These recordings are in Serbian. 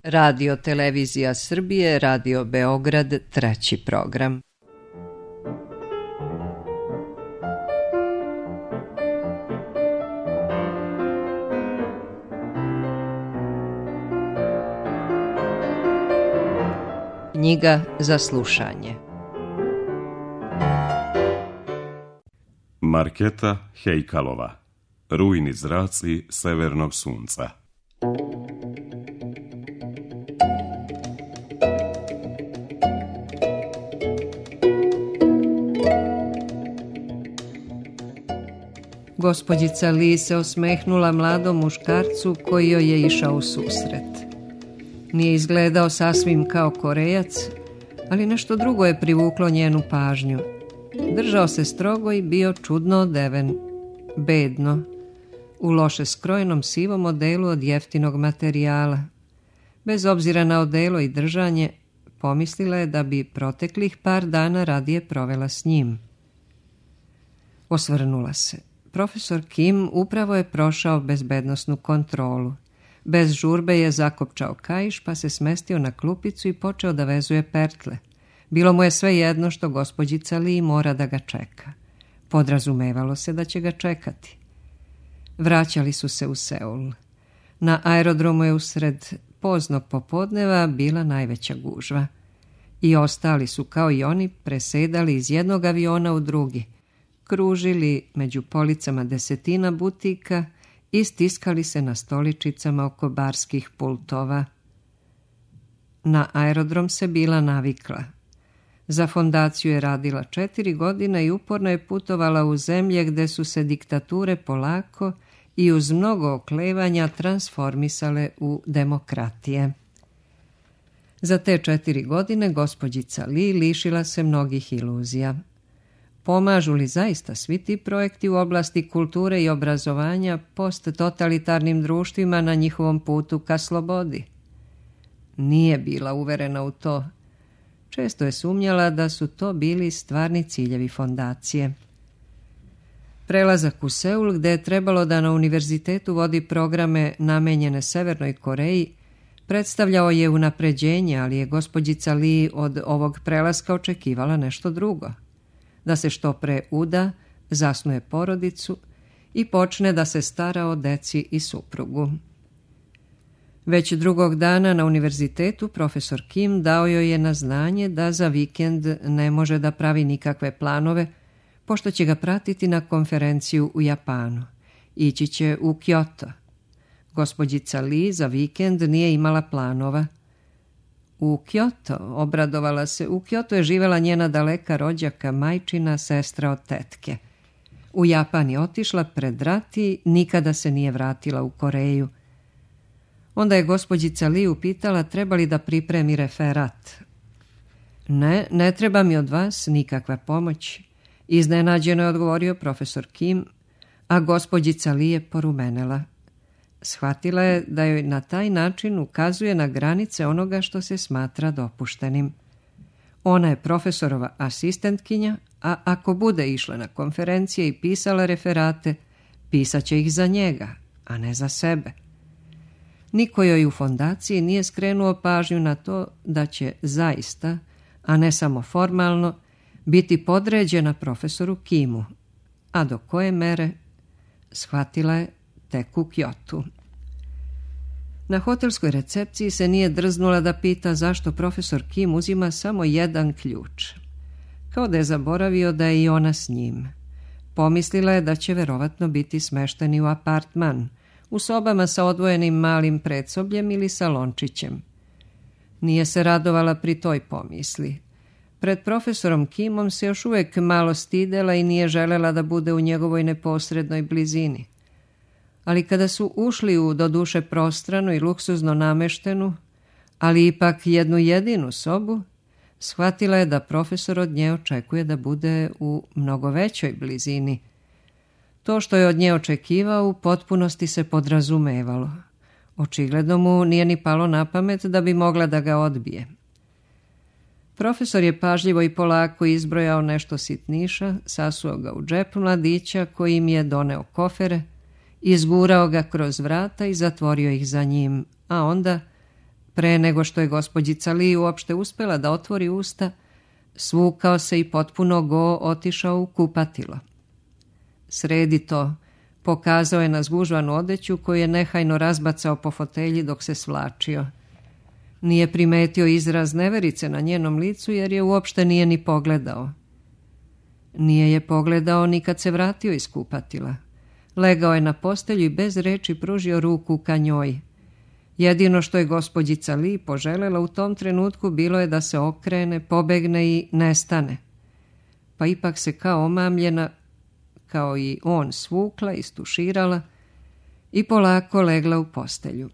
Radio Televizija Srbije, Radio Beograd, 3. program. Knjiga za slušanje. Marketa Hejkalova. Rujni zraci severnog sunca. Gospođica Li se osmehnula mladom muškarcu koji joj je išao u susret. Nije izgledao sasvim kao Korejac, ali nešto drugo je privuklo njenu pažnju. Držao se strogo i bio čudno odeven, bedno, u loše skrojenom sivom odelu od jeftinog materijala. Bez obzira na odelo i držanje, pomislila je da bi proteklih par dana radije provela s njim. Osvrnula se. Profesor Kim upravo je prošao bezbednosnu kontrolu. Bez žurbe je zakopčao kaiš, pa se smestio na klupicu i počeo da vezuje pertle. Bilo mu je sve jedno što gospođica Li mora da ga čeka. Podrazumevalo se da će ga čekati. Vraćali su se u Seul. Na aerodromu je usred poznog popodneva bila najveća gužva. I ostali su, kao i oni, presedali iz jednog aviona u drugi. Kružili među policama desetina butika i stiskali se na stoličicama oko barskih pultova. Na aerodrom se bila navikla. Za fondaciju je radila 4 godine i uporno je putovala u zemlje gde su se diktature polako i uz mnogo oklevanja transformisale u demokratije. Za te 4 godine gospođica Li lišila se mnogih iluzija. Pomažu li zaista svi ti projekti u oblasti kulture i obrazovanja post-totalitarnim društvima na njihovom putu ka slobodi? Nije bila uverena u to. Često je sumnjala da su to bili stvarni ciljevi fondacije. Prelazak u Seul, gde je trebalo da na univerzitetu vodi programe namenjene Severnoj Koreji, predstavljao je unapređenje, ali je gospođica Li od ovog prelaska očekivala nešto drugo. Da se što pre uda, zasnuje porodicu i počne da se stara o deci i suprugu. Već drugog dana na univerzitetu profesor Kim dao joj je na znanje da za vikend ne može da pravi nikakve planove, pošto će ga pratiti na konferenciju u Japanu. Ići će u Kyoto. Gospođica Li za vikend nije imala planova. U Kyoto, obradovala se, u Kyoto je živela njena daleka rođaka, majčina, sestra od tetke. U Japan je otišla pred rat i nikada se nije vratila u Koreju. Onda je gospođica Li upitala treba li da pripremi referat. Ne treba mi od vas nikakva pomoć, iznenađeno je odgovorio profesor Kim, a gospođica Li je porumenela. Shvatila je da joj na taj način ukazuje na granice onoga što se smatra dopuštenim. Ona je profesorova asistentkinja, a ako bude išla na konferencije i pisala referate, pisaće ih za njega, a ne za sebe. Niko joj u fondaciji nije skrenuo pažnju na to da će zaista, a ne samo formalno, biti podređena profesoru Kimu, a do koje mere shvatila je tek u Kyotu. Na hotelskoj recepciji se nije drznula da pita zašto profesor Kim uzima samo jedan ključ. Kao da je zaboravio da je i ona s njim. Pomislila je da će verovatno biti smešteni u apartman, u sobama sa odvojenim malim predsobljem ili salončićem. Nije se radovala pri toj pomisli. Pred profesorom Kimom se još uvijek malo stidela i nije želela da bude u njegovoj neposrednoj blizini. Ali kada su ušli u doduše prostranu i luksuzno nameštenu, ali ipak jednu jedinu sobu, shvatila je da profesor od nje očekuje da bude u mnogo većoj blizini. To što je od nje očekivao u potpunosti se podrazumevalo. Očigledno mu nije ni palo na pamet da bi mogla da ga odbije. Profesor je pažljivo i polako izbrojao nešto sitniša, sasuo ga u džep mladića koji im je doneo kofere, izgurao ga kroz vrata i zatvorio ih za njim, a onda Pre nego što je gospođica Li uopšte uspela da otvori usta, svukao se i potpuno go otišao u kupatilo. Sredi to, pokazao je na zgužvanu odeću koju je nehajno razbacao po fotelji dok se svlačio. Nije primetio izraz neverice na njenom licu jer je uopšte nije ni pogledao. Nije je pogledao ni kad se vratio iz kupatila. Legao je na postelju i bez reči pružio ruku ka njoj. Jedino što je gospođica Li poželela u tom trenutku bilo je da se okrene, pobegne i nestane. Pa ipak se kao omamljena, kao i on, svukla, istuširala i polako legla u postelju.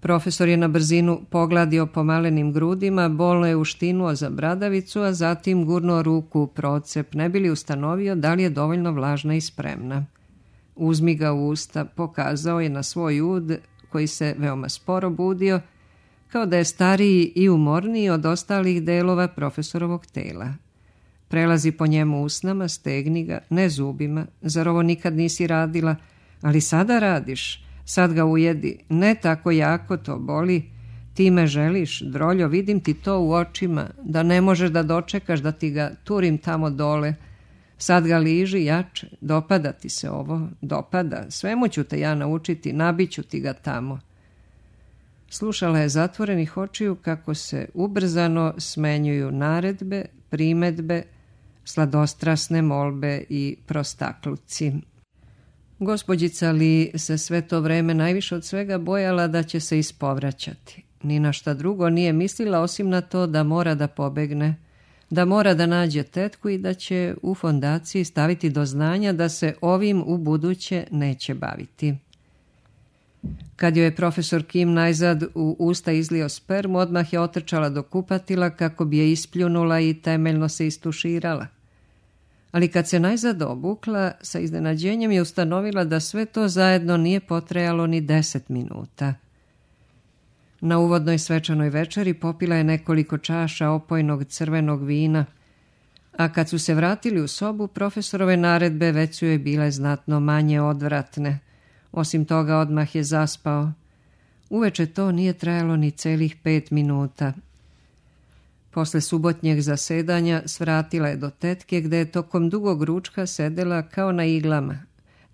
Profesor je na brzinu pogladio po malenim grudima, bolno je uštinuo za bradavicu, a zatim gurnuo ruku u procep, ne bi li ustanovio da li je dovoljno vlažna i spremna. Uzmi ga u usta, pokazao je na svoj ud, koji se veoma sporo budio, kao da je stariji i umorniji od ostalih delova profesorovog tela. Prelazi po njemu usnama, stegni ga, ne zubima, zar ovo nikad nisi radila, ali sada radiš, sad ga ujedi, ne tako jako to boli, ti me želiš, droljo, vidim ti to u očima, da ne možeš da dočekaš da ti ga turim tamo dole, sad ga liži jače, dopada ti se ovo, dopada, svemu ću te ja naučiti, nabiću ti ga tamo. Slušala je zatvorenih očiju kako se ubrzano smenjuju naredbe, primedbe, sladostrasne molbe i prostakluci. Gospođica Li se sve to vreme najviše od svega bojala da će se ispovraćati. Ni na šta drugo nije mislila osim na to da mora da pobegne, da mora da nađe tetku i da će u fondaciji staviti do znanja da se ovim u buduće neće baviti. Kad joj je profesor Kim najzad u usta izlio spermu, odmah je otrčala do kupatila kako bi je ispljunula i temeljno se istuširala. Ali kad se najzad obukla, sa iznenađenjem je ustanovila da sve to zajedno nije potrajalo ni 10 minuta. Na uvodnoj svečanoj večeri popila je nekoliko čaša opojnog crvenog vina, a kad su se vratili u sobu, profesorove naredbe već su joj bile znatno manje odvratne. Osim toga, odmah je zaspao. Uveče to nije trajalo ni celih 5 minuta. Posle subotnjeg zasedanja svratila je do tetke gde je tokom dugog ručka sedela kao na iglama.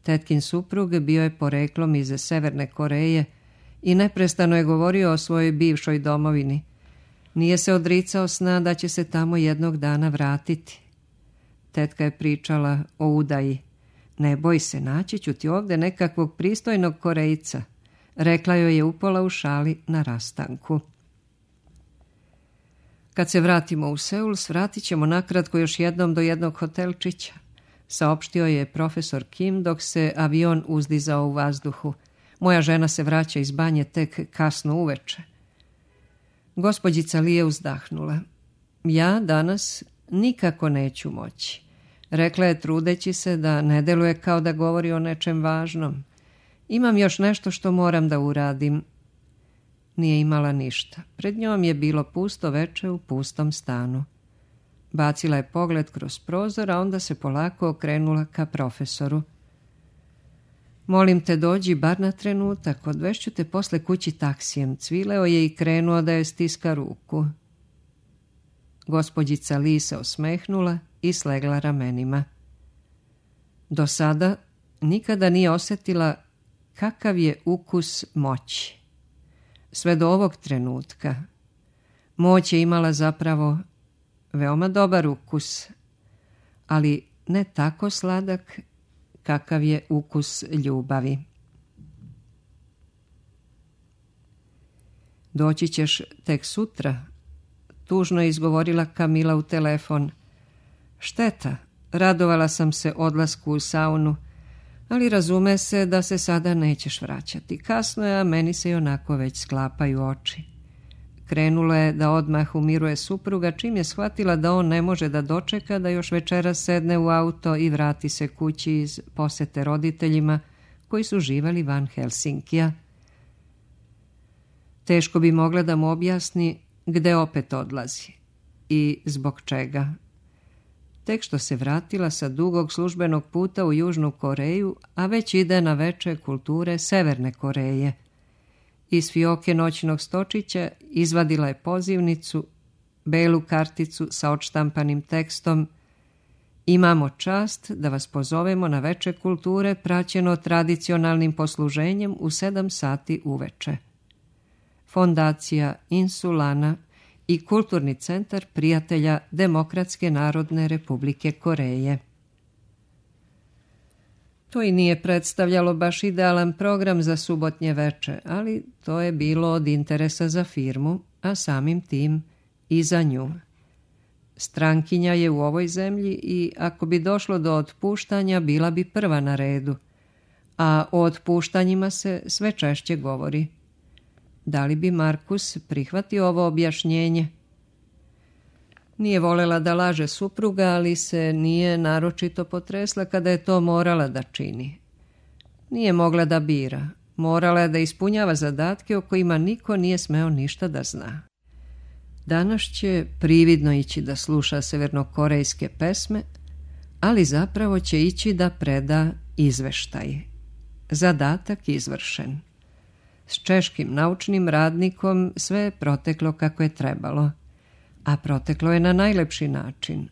Tetkin suprug bio je poreklom iz Severne Koreje i neprestano je govorio o svojoj bivšoj domovini. Nije se odricao sna da će se tamo jednog dana vratiti. Tetka je pričala o udaji. Ne boj se, naći ću ti ovde nekakvog pristojnog Korejca, rekla joj je upola u šali na rastanku. Kad se vratimo u Seul, svratit ćemo nakratko još jednom do jednog hotelčića, saopštio je profesor Kim dok se avion uzdizao u vazduhu. Moja žena se vraća iz banje tek kasno uveče. Gospođica Li je uzdahnula. Ja danas nikako neću moći, rekla je trudeći se da ne deluje kao da govori o nečem važnom. Imam još nešto što moram da uradim. Nije imala ništa. Pred njom je bilo pusto veče u pustom stanu. Bacila je pogled kroz prozor, a onda se polako okrenula ka profesoru. Molim te, dođi bar na trenutak, odvešću te posle kući taksijem. Cvileo je i krenuo da je stiska ruku. Gospođica Li se osmehnula i slegla ramenima. Do sada nikada nije osjetila kakav je ukus moći. Sve do ovog trenutka moć je imala zapravo veoma dobar ukus, ali ne tako sladak kakav je ukus ljubavi. Doći ćeš tek sutra, tužno je izgovorila Kamila u telefon. Šteta, radovala sam se odlasku u saunu, ali razume se da se sada nećeš vraćati. Kasno je, a meni se i onako već sklapaju oči. Krenula je da odmah umiruje supruga, čim je shvatila da on ne može da dočeka da još večeras sedne u auto i vrati se kući iz posete roditeljima koji su živali van Helsinkija. Teško bi mogla da mu objasni gde opet odlazi i zbog čega. Tek što se vratila sa dugog službenog puta u Južnu Koreju, a već ide na veče kulture Severne Koreje. Iz fioke noćnog stočića izvadila je pozivnicu, belu karticu sa odštampanim tekstom: Imamo čast da vas pozovemo na veče kulture praćeno tradicionalnim posluženjem u 7 sati uveče. Fondacija Insulana i Kulturni centar prijatelja Demokratske narodne republike Koreje. To i nije predstavljalo baš idealan program za subotnje veče, ali to je bilo od interesa za firmu, a samim tim i za nju. Strankinja je u ovoj zemlji i ako bi došlo do otpuštanja, bila bi prva na redu, a o otpuštanjima se sve češće govori. Da li bi Markus prihvatio ovo objašnjenje? Nije volela da laže supruga, ali se nije naročito potresla kada je to morala da čini. Nije mogla da bira, morala je da ispunjava zadatke o kojima niko nije smeo ništa da zna. Danas će prividno ići da sluša severnokorejske pesme, ali zapravo će ići da preda izveštaj. Zadatak izvršen. S češkim naučnim radnikom sve je proteklo kako je trebalo, a proteklo je na najlepši način.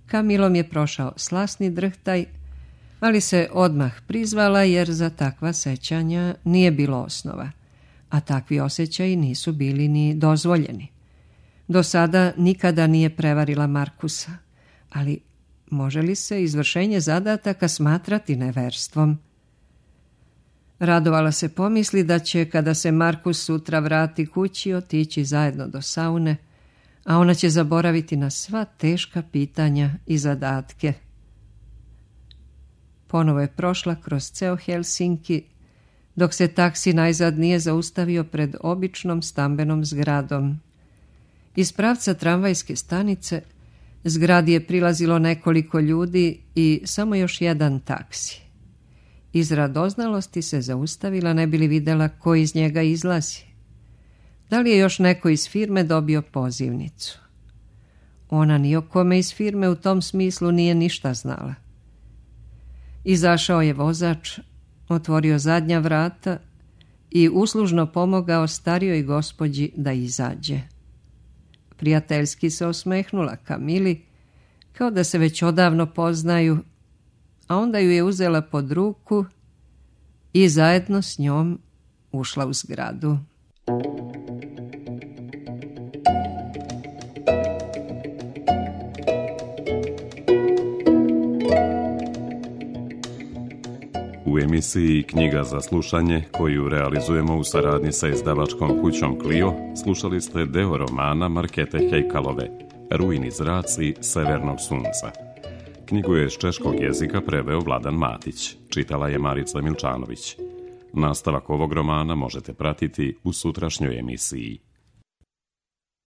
Kamilom je prošao slasni drhtaj, ali se odmah prizvala jer za takva sećanja nije bilo osnova, a takvi osjećaji nisu bili ni dozvoljeni. Do sada nikada nije prevarila Markusa, ali može li se izvršenje zadataka smatrati neverstvom? Radovala se pomisli da će, kada se Markus sutra vrati kući, otići zajedno do saune, a ona će zaboraviti na sva teška pitanja i zadatke. Ponovo je prošla kroz ceo Helsinki, dok se taksi najzad nije zaustavio pred običnom stambenom zgradom. Iz pravca tramvajske stanice zgradi je prilazilo nekoliko ljudi i samo još jedan taksi. Iz radoznalosti se zaustavila, ne bi li videla ko iz njega izlazi. Da li je još neko iz firme dobio pozivnicu? Ona ni o kome iz firme u tom smislu nije ništa znala. Izašao je vozač, otvorio zadnja vrata i uslužno pomogao starijoj gospođi da izađe. Prijateljski se osmehnula Kamili, kao da se već odavno poznaju, a onda ju je uzela pod ruku i zajedno s njom ušla u zgradu. U emisiji Knjiga za slušanje, koju realizujemo u saradnji sa izdavačkom kućom Clio, slušali ste deo romana Markete Hejkalove, Rujni zraci severnog sunca. Knjigu je iz češkog jezika preveo Vladan Matić, čitala je Marica Milčanović. Nastavak ovog romana možete pratiti u sutrašnjoj emisiji.